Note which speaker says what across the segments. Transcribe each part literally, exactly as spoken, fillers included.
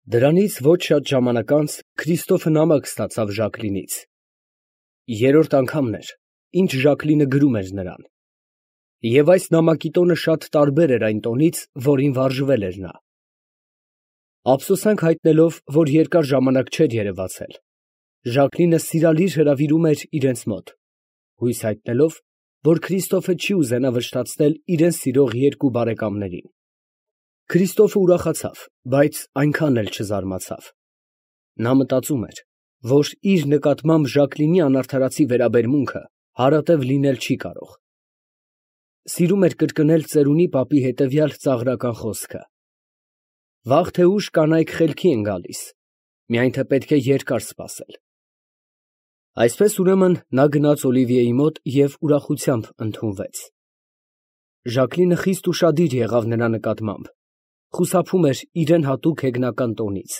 Speaker 1: Դրանից ոչ շատ ժամանակ անց Քրիստոֆը նամակ ստացավ Ժակլինից. երրորդ անգամն էր, ինչ Ժակլինը գրում էր նրան, և այս նամակի տոնը շատ տարբեր էր այն տոնից, որին վարժվել էր նա։ Ափսոսանք հայտնելով, որ երկար ժամանակ չէր երևացել, Ժակլինը սիրալիր հրավիրում էր իրենց մոտ, հույս հայտնելով, որ Քրիստոֆը չի ուզենա վշտացնել իրեն սիրող երկու բարեկամներին։ Քրիստոֆը ուրախացավ, բայց այնքան էլ չզարմացավ։ Նա մտածում էր, որ իր նկատմամբ Ժակլինի անարդարացի վերաբերմունքը հարատև լինել չի կարող։ Սիրում էր կրկնել ծերունի պապի հետևյալ ծաղրական խոսքը. «Վաղ թե ուշ կանայք խելքի են գալիս, միայն թե պետք է երկար սպասել»։ Այսպես ուրեմն նա գնաց Օլիվիեի մոտ և ուրախությամբ ընդունվեց։ Ժակլինը խիստ ուշադիր եղավ նրա նկատմամբ, խուսափում էր իրան հատուկ հեգնական տոնից։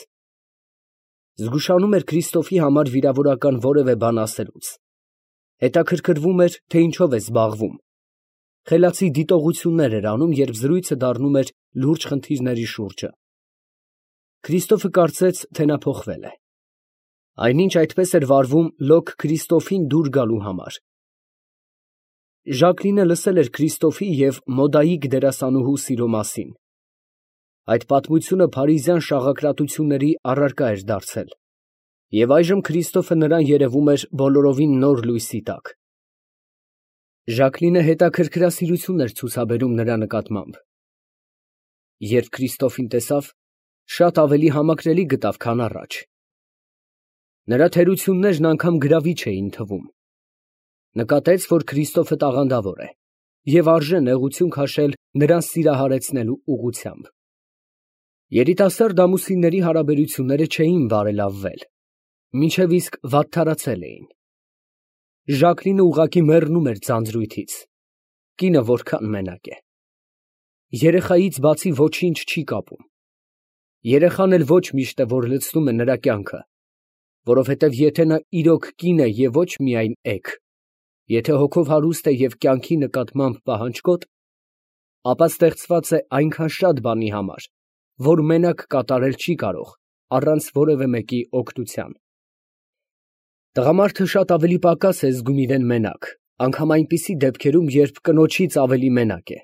Speaker 1: Զգուշանում էր Քրիստոֆի համար վիրավորական որևէ բան ասելուց, հետաքրքրվում էր, թե ինչով է զբաղվում, խելացի դիտողություններ էր անում, երբ զրույցը դառնում էր լուրջ խնդիրների շուրջը։ Քրիստոֆը կարծեց, թե նա փոխվել է։ Այնինչ այդպես էր վարվում լոկ Քրիստոֆին դուր գալու համար։ Ժակլինը լսել էր Քրիստոֆի և Մոդայիկ դերասանուհու սիրո մասին։ Այդ պատմությունը փարիզյան շաղակրատությունների առարկա էր դարձել, և այժմ Քրիստոֆը նրան երևում էր բոլորովին նոր լույսի տակ։ Ժակլինը հետաքրքրասիրություն էր ցուցաբերում նրա նկատմամբ։ Երբ Քրիստոֆին տեսավ, շատ ավելի համակրելի գտավ, քան առաջ։ Նրա թերություններն անգամ գրավիչ էին թվում։ Նկատեց, որ Քրիստոֆը տաղանդավոր է և արժե նեղություն քաշել նրան սիրահարեցնելու ուղղությամբ։ Երիտասարդ ամուսինների հարաբերությունները չէին բարելավվել, մինչև իսկ վատթարացել էին։ Ժակլինը ուղղակի մեռնում էր ձանձրույթից։ Կինը որքան մենակ է։ Երեխայից բացի ոչինչ չի կապում։ Երեխան էլ ոչ միշտ է, որ լցնում է նրա կյանքը, որովհետև եթե նա իրոք կին է և ոչ միայն էգ, եթե հոգով հարուստ է և կյանքի նկատմամբ պահանջկոտ, ապա ստեղծված է այնքան շատ բանի համար, որ մենակ կատարել չի կարող, առանց որևէ մեկի օգնության։ Տղամարդը շատ ավելի պակաս է զգում իրեն մենակ, անգամ այնպիսի դեպքերում, երբ կնոջից ավելի մենակ է։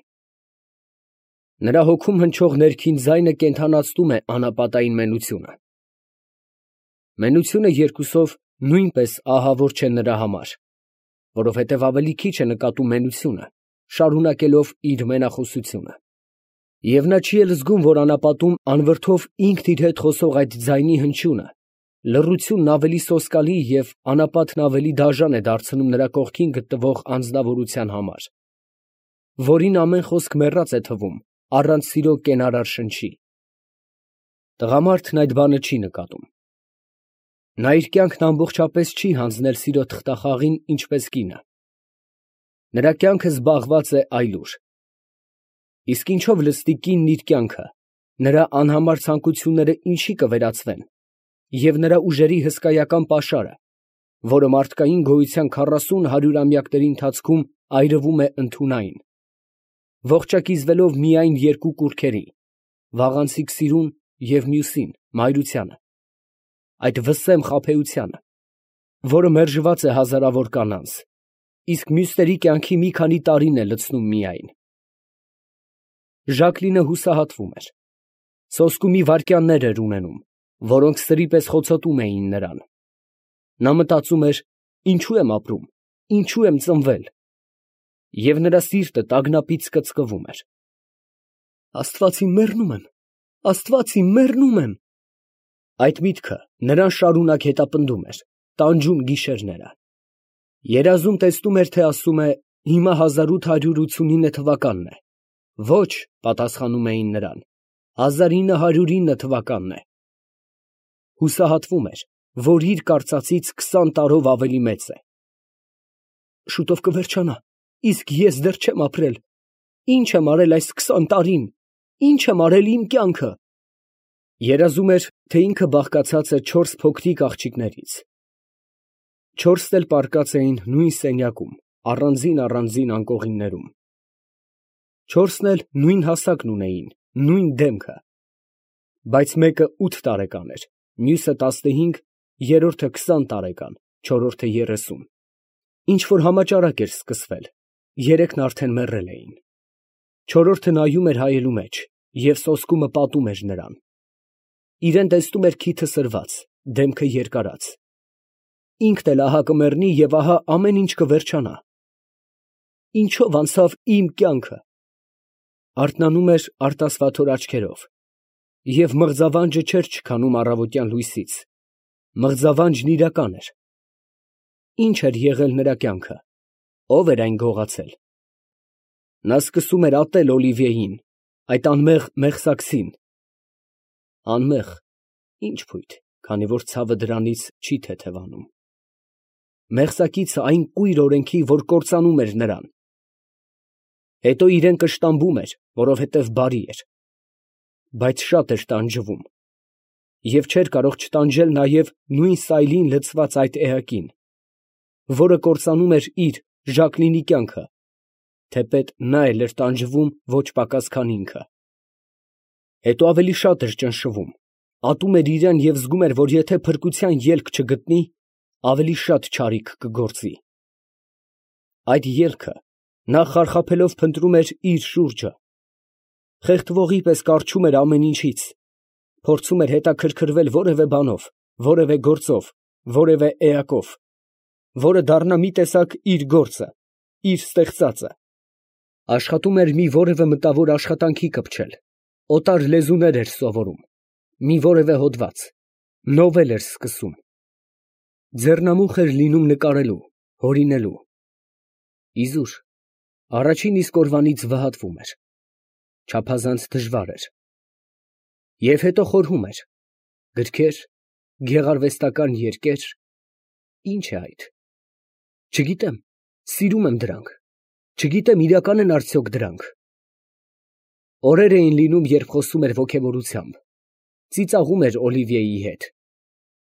Speaker 1: Նրա հոգում հնչող ներքին ձայնը կենդանացնում է անապատային մենությունը։ Մենությունը երկուսով նույնպես ահավոր չէ նրա համար, որովհետև ավելի քիչ է նկատում մենությունը, շարունակելով իր մենախոսությունը։ Եվ նա չի էլ զգում, որ անապատում անվրդով ինքն իր հետ խոսող այդ ձայնի հնչյունը, լռությունն ավելի սոսկալի և անապատն ավելի դաժան է դարձնում նրա կողքին գտնվող անձնավորության համար, որին ամեն խոսք մեռած է թվում, առանց սիրո կենարար շնչի։ Տղամարդն այդ բանը չի նկատում։ Նա իր կյանքն ամբողջապես չի հանձնել սիրո թղթախաղին, ինչպես կինը։ Նրա կյանքը զբաղված է այլուր։ Իսկ ինչով լցնի կինն իր կյանքը, նրա անհամար ցանկությունները ինչի կվերածվեն, և նրա ուժերի հսկայական պաշարը, որը մարդկային գոյության քառասուն հարյուրամյակների ընթացքում այրվում է ընդունայն, ողջակիզվելով միայն երկու կուռքերի՝ վաղանցիկ սիրուն և մյուսին՝ մայրությանը, այդ վսեմ խաբեությանը, որը մերժված է հազարավոր կանանց, իսկ մյուսների կյանքի մի քանի տարին է լցնում միայն։ Ժակլինը հուսահատվում էր։ Սոսկումի վայրկյաններ էր ունենում, որոնք սրի պես խոցոտում էին նրան։ Նա մտածում էր. ինչու եմ ապրում, ինչու եմ ծնվել, և նրա սիրտը տագնապից կծկվում էր։ Աստված իմ, մեռնում եմ, Աստված իմ, մեռնում եմ։ Այդ միտքը նրան շարունակ հետապնդում էր, տանջում գիշերները։ Երազում տեսնում էր, թե ասում է. հիմա հազար ութ հարյուր ութսունինը թվականն է։ Ոչ, պատասխանում էին նրան, հազար ինը հարյուր ինը թվականն է։ Հուսահատվում էր, որ իր կարծածից քսան տարով ավելի մեծ է։ Շուտով կվերջանա, իսկ ես դեռ չեմ ապրել։ Ի՞նչ եմ արել այս քսան տարին, ի՞նչ եմ արել իմ կյանքը։ Երազում էր, թե ինքը բաղկացած է չորս փոքրիկ աղջիկներից։ Չորսն էլ պառկած էին նույն սենյակում, առանձին֊առանձին բայց մեկը ութ տարեկան էր, մյուսը տասնհինգ, երրորդը քսան տարեկան, չորրորդը երեսուն, ինչ որ համաճարակ էր սկսվել, երեքն արդեն մեռել էին, չորրորդը նայում էր հայելու մեջ և սոսկումը պատում էր նրան, իրեն տեսնում էր քիթը սրված, դեմքը երկարած, ինքն էլ ահա կմեռնի և ահա ամեն ինչ կվերջանա, ինչո՞վ անցավ իմ կյանքը, արթնանում էր արտասվաթոր աչքերով, և մղձավանջը չէր չքանում առավոտյան լույսից, մղձավանջն իրական էր, ի՞նչ էր եղել նրա կյանքը, ո՞վ էր այն գողացել, նա սկսում էր ատել Օլիվիեին, այդ անմեղ մեղսակցին, անմեղ, ի՞նչ փույթ, քանի որ ցավը դրանից չի թեթևանում, մեղսակիցը այն կույր օրենքի, որ կործանում էր նրան, հետո իրեն կշտամբում էր, որովհետև բարի էր, բայց շատ էր տանջվում և չէր կարող չտանջել նաև նույն սայլին լցված այդ էակին, որը կործանում էր իր Ժակլինի կյանքը, թեպետ նա էլ էր տանջվում ոչ պակաս, քան ինքը, հետո ավելի շատ էր ճնշվում, ատում էր իրան և զգում էր, որ եթե փրկության ելք չգտնի, ավելի շատ չարիք կգործի, այդ ելքը նա խարխափելով փնտրում էր իր շուրջը, խեղդվողի պես կառչում էր ամեն ինչից, փորձում էր հետաքրքրվել որևէ բանով, որևէ գործով, որևէ էակով, որը դառնա մի տեսակ իր գործը, իր ստեղծածը, աշխատում էր մի որևէ մտավոր աշխատանքի կպչել, օտար լեզուներ էր սովորում, մի որևէ հոդված, նովել էր սկսում, ձեռնամուխ էր լինում նկարելու, հորինելու, իզուր, առաջին իսկ օրվանից վհատվում էր, չափազանց դժվար էր, և հետո խորհում էր, գրքեր, գեղարվեստական երկեր, ի՞նչ է այդ, չգիտեմ, սիրում եմ դրանք, չգիտեմ իրական են արդյոք դրանք, օրեր էին լինում, երբ խոսում էր ոգևորությամբ, ծիծաղում էր Օլիվիեի հետ,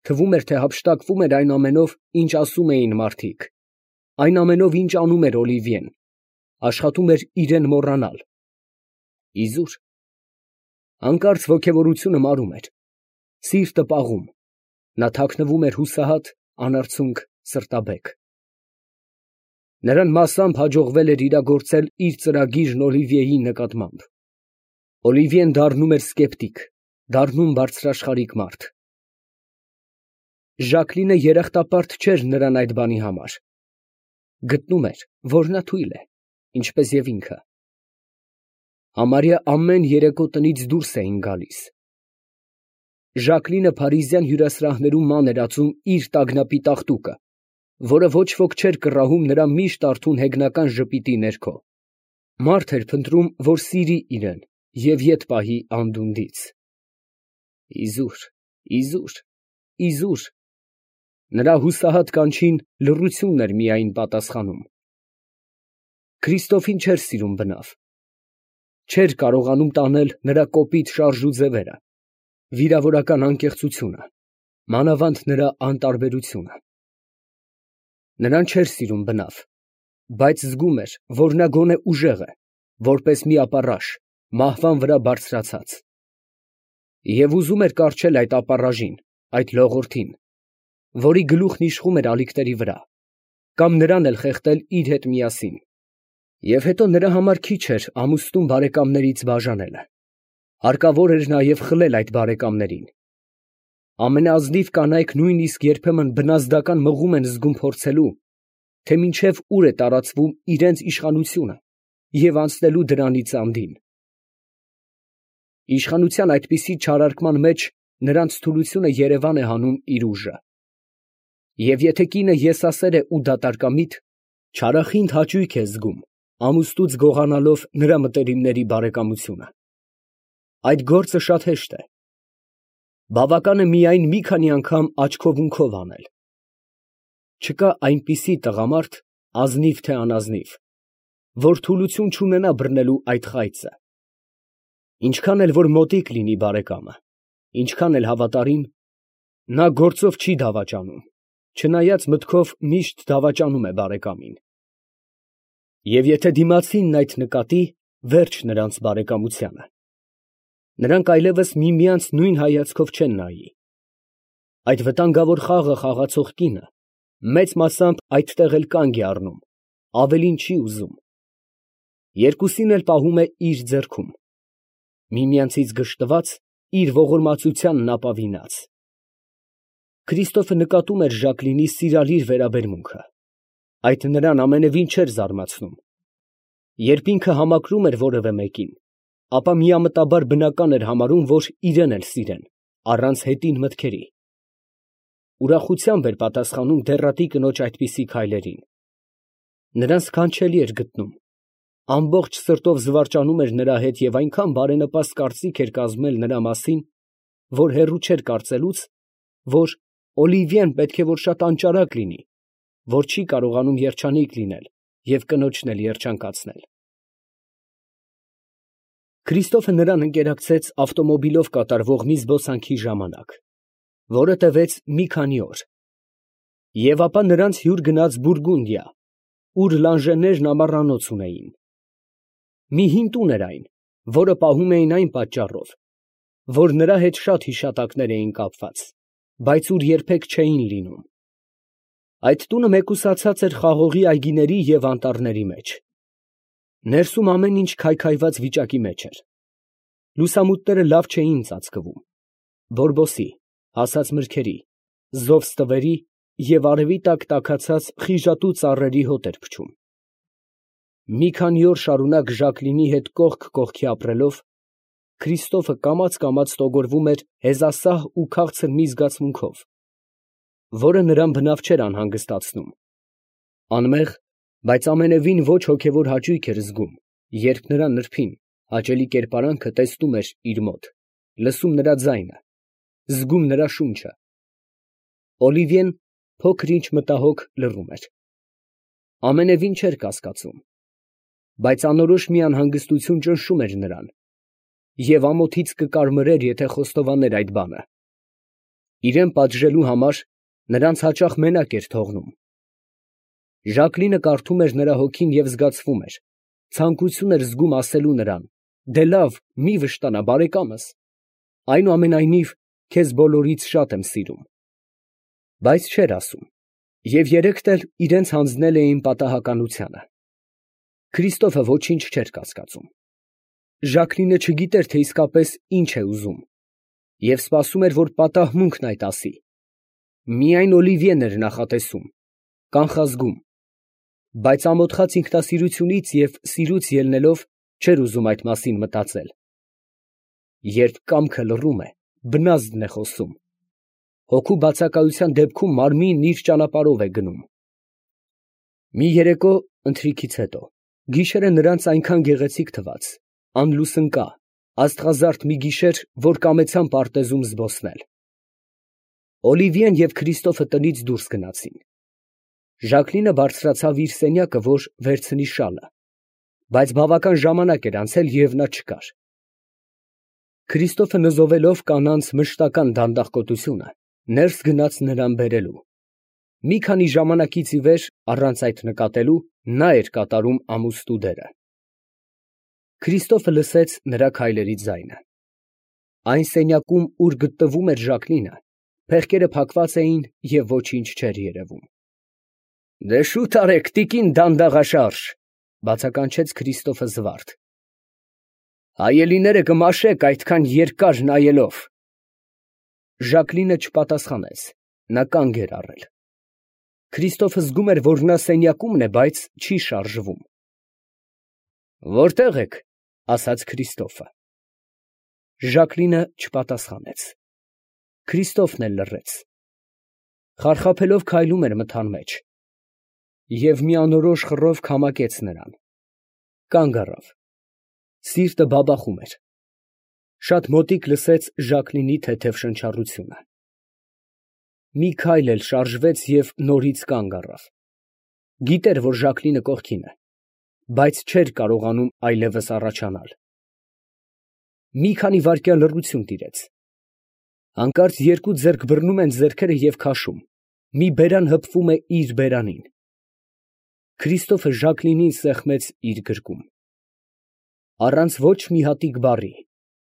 Speaker 1: թվում էր, թե հափշտակվում էր այն ամենով, ինչ ասում էին մարդիկ, այն ամենով, ինչ անում էր Օլիվիեն, աշխատում էր իրեն մոռանալ, իզուր, հանկարծ ոգևորությունը մարում էր, սիրտը պաղում, նա թաքնվում էր հուսահատ, անարցունք սրտաբեկ, նրան մասամբ հաջողվել էր իրագործել իր ծրագիրն Օլիվիեի նկատմամբ, Օլիվիեն դառնում էր սկեպտիկ, դառնում բարձրաշխարհիկ մարդ, Ժակլինը երախտապարտ չէր նրան այդ բանի համար, գտնում էր, որ նա թույլ է, ինչպես և ինքը, համարյա ամեն երեկո տնից դուրս էին գալիս, Ժակլինը փարիզյան հյուրասրահներում ման էր ածում իր տագնապի տաղտուկը, որը ոչ ոք չէր կռահում նրա միշտ արթուն հեգնական ժպիտի ներքո, մարդ էր փնտրում, որ սիրի իրեն և ետ պահի անդունդից, իզուր, իզուր, իզուր, նրա հուսահատ կանչին լռությունն էր միայն պատասխանում, Քրիստոֆին չէր սիրում բնավ, չէր կարողանում տանել նրա կոպիտ շարժ ու ձևերը, վիրավորական անկեղծությունը, մանավանդ նրա անտարբերությունը, նրան չէր սիրում բնավ, բայց զգում էր, որ նա գոնե ուժեղ է, որպես մի ապառաշ, մահվան վրա բարձրացած, և ուզում էր կառչել այդ ապառաժին, այդ լողորդին, որի գլուխն իշխում էր ալիքների վրա, կամ նրան էլ խեղդել իր հետ միասին, և հետո նրա համար քիչ էր ամուսնու բարեկամներից բաժանելը, հարկավոր էր նաև խլել այդ բարեկամներին, ամենաազնիվ կանայք նույնիսկ երբեմն բնազդական մղում են զգում փորձելու, թե մինչև ուր է տարածվում իրենց իշխանությունը և անցնելու դրանից անդին, իշխանության այդպիսի չարարկման մեջ նրանց թուլությունը երևան է հանում իր ուժը, և եթե կինը եսասեր է ու դատարկամիտ, չարախինդ հաճույք է զգում, ամուսնուց գողանալով նրա մտերիմների բարեկամությունը, այդ գործը շատ հեշտ է, բավական է միայն մի քանի անգամ աչքով ունքով անել, չկա այնպիսի տղամարդ, ազնիվ թե անազնիվ, որ թուլություն չունենա բռնելու այդ խայծը, ինչքան էլ որ մոտիկ լինի բարեկամը, ինչքան էլ հավատարիմ, նա գործով չի դավաճանում, չնայած մտքով միշտ դավաճանում է բարեկամին, և եթե դիմացինն այդ նկատի, վերջ նրանց բարեկամությանը, Նրանք այլևս միմյանց նույն հայացքով չեն նայի։ Այդ վտանգավոր խաղը խաղացող կինը մեծ մասամբ այդտեղ էլ կանգ է առնում, ավելին չի ուզում։ Երկուսին էլ պահում է իր ձեռքում, միմյանցից գժտված, իր ողորմածությանն ապավինած։ Քրիստոֆը նկատում էր Ժակլինի սիրալիր վերաբերմունքը, այդ նրան ամենևին չէր զարմացնում։ Երբ ինքը համակրում էր որևէ մեկին, ապա միամտաբար բնական էր համարում, որ իրեն էլ սիրեն, առանց հետին մտքերի։ Ուրախությամբ էր պատասխանում դեռատի կնոջ այդպիսի քայլերին։ Նրան սքանչելի էր գտնում, ամբողջ սրտով զվարճանում էր նրա հետ և այնքան բարենպաստ կարծիք էր կազմել նրա մասին, որ հեռու չէր կարծելուց, որ Օլիվիեն պետք է որ շատ անճարակ լինի, որ չի կարողանում երջանիկ լինել և կնոջն էլ երջանկացնել։ Քրիստոֆը նրան ընկերակցեց ավտոմոբիլով կատարվող մի զբոսանքի ժամանակ, որը տևեց մի քանի օր, և ապա նրանց հյուր գնաց Բուրգունդիա, ուր Լանժեներն ամառանոց ունեին։ Մի հին տուն էր այն, որը պահում էին այն պատճառով, որ նրա հետ շատ հիշատակներ էին կապված, բայց ուր երբեք չէին լինում։ Այդ տունը մեկուսացած էր խաղողի այգիների և անտառների մեջ։ Ներսում ամեն ինչ քայքայված վիճակի մեջ էր։ Լուսամուտները լավ չէին ծածկվում, բորբոսի, հասած մրգերի, զով ստվերի և արևի տակ տաքացած խիժատու ծառերի հոտ էր փչում։ Մի քանի օր շարունակ Ժակլինի հետ կողք կողքի ապրելով, Քրիստոֆը կամաց֊կամաց ստոգորվում էր հեզասահ ու քաղցր մի զգացմունքով, որը նրան բնավ չէր անհանգստացնում։ Անմեղ, բայց ամենևին ոչ հոգևոր հաճույք էր զգում, երբ նրա նրբին, հաճելի կերպարանքը տեսնում էր իր մոտ, լսում նրա ձայնը, զգում նրա շունչը։ Օլիվիեն փոքր ինչ մտահոգ լռում էր։ Ամենևին չէր կասկածում, բայց անորոշ մի անհանգստություն ճնշում էր նրան, և ամոթից կկարմրեր, եթե խոստովաներ այդ բանը։ Իրան պատժելու համար նրանց հաճախ մենակ էր թողնում։ Ժակլինը կարդում էր նրա հոգին և զգացվում էր, ցանկություն էր զգում ասելու նրան. «Դե լավ, մի վշտանա, բարեկամս, այնուամենայնիվ քեզ բոլորից շատ եմ սիրում»։ Բայց չէր ասում, և երեքդ էլ իրենց հանձնել էին պատահականությանը։ Քրիստոֆը ոչինչ չէր կասկածում։ Ժակլինը չգիտեր, թե իսկապես ինչ է ուզում, և սպասում էր, որ պատահմունքն այդ ասի։ Միայն Օլիվիեն էր նախատեսում, կանխազգում, բայց ամոթխած ինքնասիրությունից և սիրուց ելնելով չէր ուզում այդ մասին մտածել։ Երբ կամքը լռում է, բնազդն է խոսում։ Հոգու բացակայության դեպքում մարմինն իր ճանապարհով է գնում։ Մի երեկո ընթրիքից հետո գիշերը նրանց այնքան գեղեցիկ թվաց, անլուսնկա, աստղազարդ մի գիշեր, որ կամեցան պարտեզում զբոսնել։ Օլիվիեն և Քրիստոֆը տնից դուրս գնացին։ Ժակլինը բարձրացավ իր սենյակը, որ վերցնի շալը, բայց բավական ժամանակ էր անցել, և նա չկար։ Քրիստոֆը նզովելով կանանց մշտական դանդաղկոտությունը, ներս գնաց նրան բերելու։ Մի քանի ժամանակից ի վեր, առանց այդ նկատելու, նա էր կատարում ամուսնու դերը։ Քրիստոֆը լսեց նրա քայլերի ձայնը։ Այն սենյակում, ուր գտնվում էր Ժակլինը, փեղկերը փակված էին և ոչինչ չէր երևում։ «Դե շուտ արեք, տիկին դանդաղաշարժ», ֊ բացականչեց Քրիստոֆը զվարթ։ «Հայելիները կմաշեք այդքան երկար նայելով»։ Ժակլինը չպատասխանեց, նա կանգ էր առել։ Քրիստոֆը զգում էր, որ նա սենյակումն է, բայց չի շարժվում։ «Որտե՞ղ եք», ֊ ասաց Քրիստոֆը։ Ժակլինը չպատասխանեց։ Քրիստոֆն էլ լռեց։ Խարխափելով քայլում էր մթան մեջ, և մի անորոշ խռով քամակեց նրան։ Կանգ առավ։ Սիրտը բաբախում էր։ Շատ մոտիկ լսեց Ժակլինի թեթև շնչառությունը։ Մի քայլ էլ շարժվեց և նորից կանգ առավ։ Գիտեր, որ Ժակլինը կողքին է, բայց չէր կարողանում այլևս առաջանալ։ Մի քանի վայրկյան լռություն տիրեց։ Հանկարծ երկու ձեռք բռնում են ձեռքերը և քաշում, մի բերան հպվում է իր բերանին։ Քրիստոֆը Ժակլինին սեղմեց իր գրկում։ Առանց ոչ մի հատիկ բառի,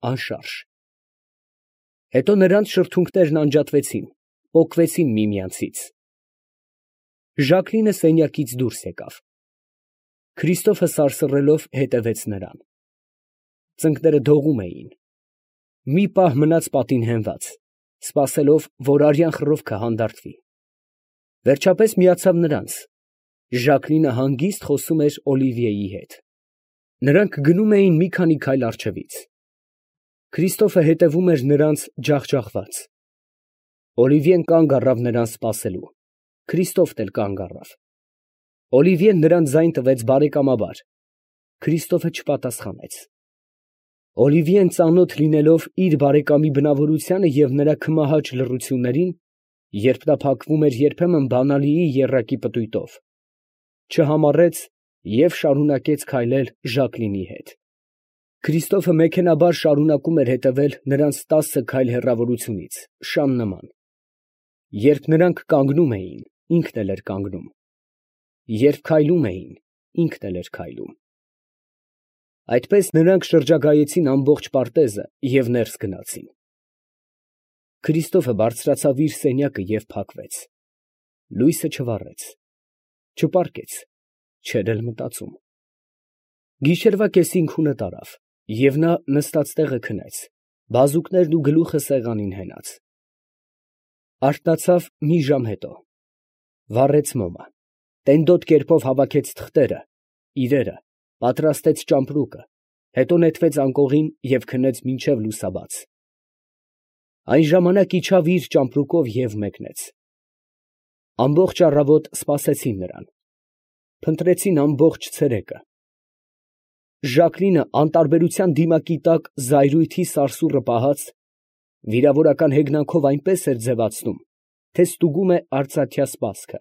Speaker 1: անշարժ։ Հետո նրանց շրթունքներն անջատվեցին, պոկվեցին միմյանցից։ Ժակլինը սենյակից դուրս եկավ։ Քրիստոֆը սարսռելով հետևեց նրան։ Ծնկները դողում էին։ Մի պահ մնաց պատին հենված, սպասելով, որ արյան խռովքը հանդարտվի։ Վերջապես միացավ նրանց։ Ժակլինը հանգիստ խոսում էր Օլիվիեի հետ։ Նրանք գնում էին մի քանի քայլ առջևից։ Քրիստոֆը հետևում էր նրանց ջախջախված։ Օլիվիեն կանգ առավ նրան սպասելու։ Քրիստոֆն էլ կանգ առավ։ Օլիվիեն նրան ձայն տվեց բարեկամաբար։ Քրիստոֆը չպատասխանեց։ Օլիվիեն ծանոթ լինելով իր բարեկամի բնավորությանը և նրա քմահաճ լռություններին, երբ նա փակվում էր երբեմն բանալիի եռակի պտույտով, չհամառեց և շարունակեց քայլել Ժակլինի հետ։ Քրիստոֆը մեքենայաբար շարունակում էր հետևել նրանց տասը քայլ հեռավորությունից, շան նման։ Երբ նրանք կանգնում էին, ինքն էլ էր կանգնում։ Երբ քայլում էին, ինքն էլ էր քայլում։ Այդպես նրանք շրջագայեցին ամբողջ պարտեզը և ներս գնացին։ Քրիստոֆը բարձրացավ իր սենյակը և փակվեց։ Լույսը չվառեց, չպառկեց, չէր էլ մտածում։ Գիշերվա կեսին քունը տարավ, և նա նստած տեղը քնեց, բազուկներն ու գլուխը սեղանին հենած։ Արթնացավ մի ժամ հետո։ Վառեց մոմը, տենդոտ կերպով հավաքեց թղթերը, իրերը, պատրաստեց ճամպրուկը, հետո նետվեց անկողին և քնեց մինչև լուսաբաց։ Այն ժամանակ իջավ իր ճամպրուկով և մեկնեց։ Ամբողջ առավոտ սպասեցին նրան։ Փնտրեցին ամբողջ ցերեկը։ Ժակլինը անտարբերության դիմակի տակ զայրույթի սարսուռը պահած, վիրավորական հեգնանքով այնպես էր ձևացնում, թե ստուգում է արծաթյա սպասքը։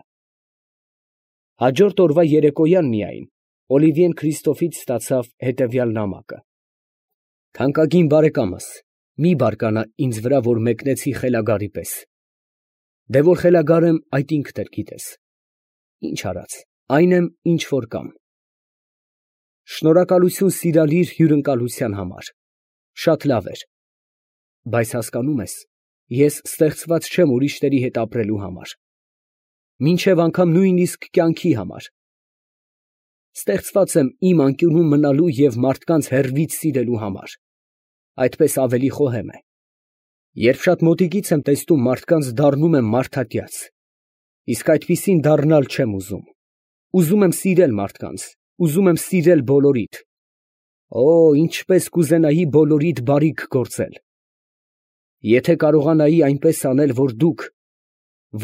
Speaker 1: Հաջորդ օրվա երեկոյան միայն Օլիվիեն Քրիստոֆից ստացավ հետևյալ նամակը. «Թանկագին բարեկամս, մի բարկանա ինձ վրա, որ մեկնեցի խելագարի պես։ Դե որ խելագար եմ, այդ ինքդ էլ գիտես։ Ինչ արած, այն եմ, ինչ որ կամ։ Շնորհակալություն սիրալիր հյուրընկալության համար, շատ լավ էր։ Բայց հասկանում ես, ես ստեղծված չեմ ուրիշների հետ ապրելու համար, մինչև անգամ նույնիսկ կյանքի համար։ Ստեղծված եմ իմ անկյունում մնալու և մարդկանց հեռվից սիրելու համար, այդպես ավելի խոհեմ է։ Երբ շատ մոտիկից եմ տեսնում մարդկանց, դառնում եմ մարդատյաց, իսկ այդպիսին դառնալ չեմ ուզում։ Ուզում եմ սիրել մարդկանց, ուզում եմ սիրել բոլորիդ։ Օ, ինչպես կուզենայի բոլորիդ բարիք գործել։ Եթե կարողանայի այնպես անել, որ դուք,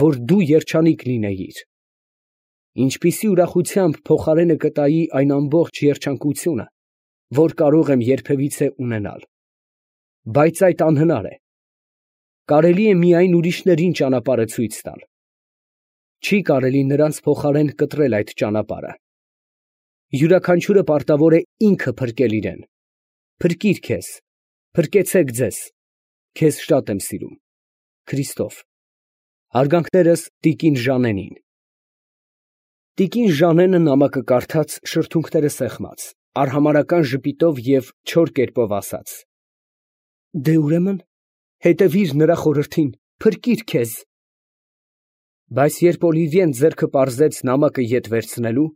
Speaker 1: որ դու երջանիկ լինեիր, ինչպիսի ուրախությամբ փոխարենը կտայի այն ամբողջ երջանկությունը, որ կարող եմ երբևիցե ունենալ։ Բայց այդ անհնար է։ Կարելի է միայն ուրիշներին ճանապարհը ցույց տալ։ Չի կարելի նրանց փոխարեն կտրել այդ ճանապարհը։ Յուրաքանչյուրը պարտավոր է ինքը փրկել իրեն։ Փրկիր քեզ, փրկեցեք ձեզ։ Քեզ շատ եմ սիրում։ Քրիստոֆ։ Հարգանքներս տիկին Ժանենին։ Տիկին Ժանենը նամակը կարդաց, շրթունքները սեղմած, արհամարհական ժպիտով և չոր կերպով ասաց. Դե ուրեմն հետևիր նրա խորհրդին, փրկիր քեզ։ Բայց երբ Օլիվիեն ձեռքը պարզեց նամակը ետ վերցնելու,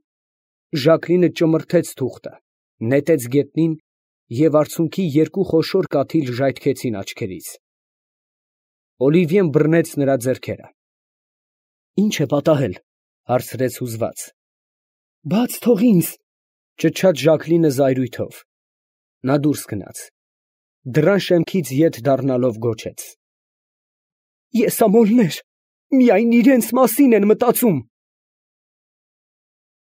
Speaker 1: Ժակլինը ճմրթեց թուղթը, նետեց գետնին և արցունքի երկու խոշոր կաթիլ ժայթքեցին աչքերից։ Օլիվիեն բռնեց նրա ձեռքերը։ Ի՞նչ է պատահել, հարցրեց հուզված։ Բաց թող ինձ, ճչաց Ժակլինը զայրույթով։ Նա դուրս գնաց։ Դռան շեմքից ետ դառնալով գոչեց. Եսամոլներ, միայն իրենց մասին են մտածում։